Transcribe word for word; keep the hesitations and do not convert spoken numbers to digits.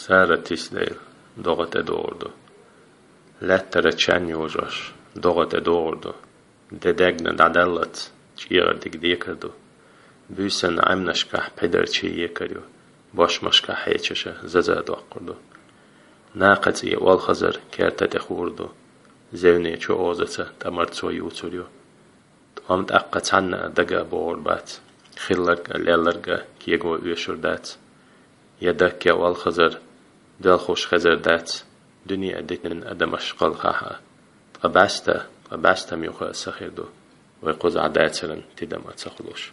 Сара тиса дайла догӀа тӀедогӀур ду. Лаьттара чан йожош догӀа тӀедогӀур ду. Де дегна дӀадаллац, чӀегӀар дика декар ду. Буьйсанна Ӏемнашкахь пхьидар чий екар ю, бошмашкахь хьечаша заза доккхур ду. Накха цӀе олхазар керта тӀе хуур ду. Зевне чу озаца тӀамарцо юцур ю. ТӀом тӀаккха цхьанна а дага а богӀур бац, хилларг а, лелларг а кего оьшур дац. Я дакке олхазар, доьлхуш хезар дац, дуьне а дитина адамаш кхалхахь а. Ткъа баьста, ткъа баьстам юха а сахир ду, вай кхузахь дацаран тидам а ца хулуш.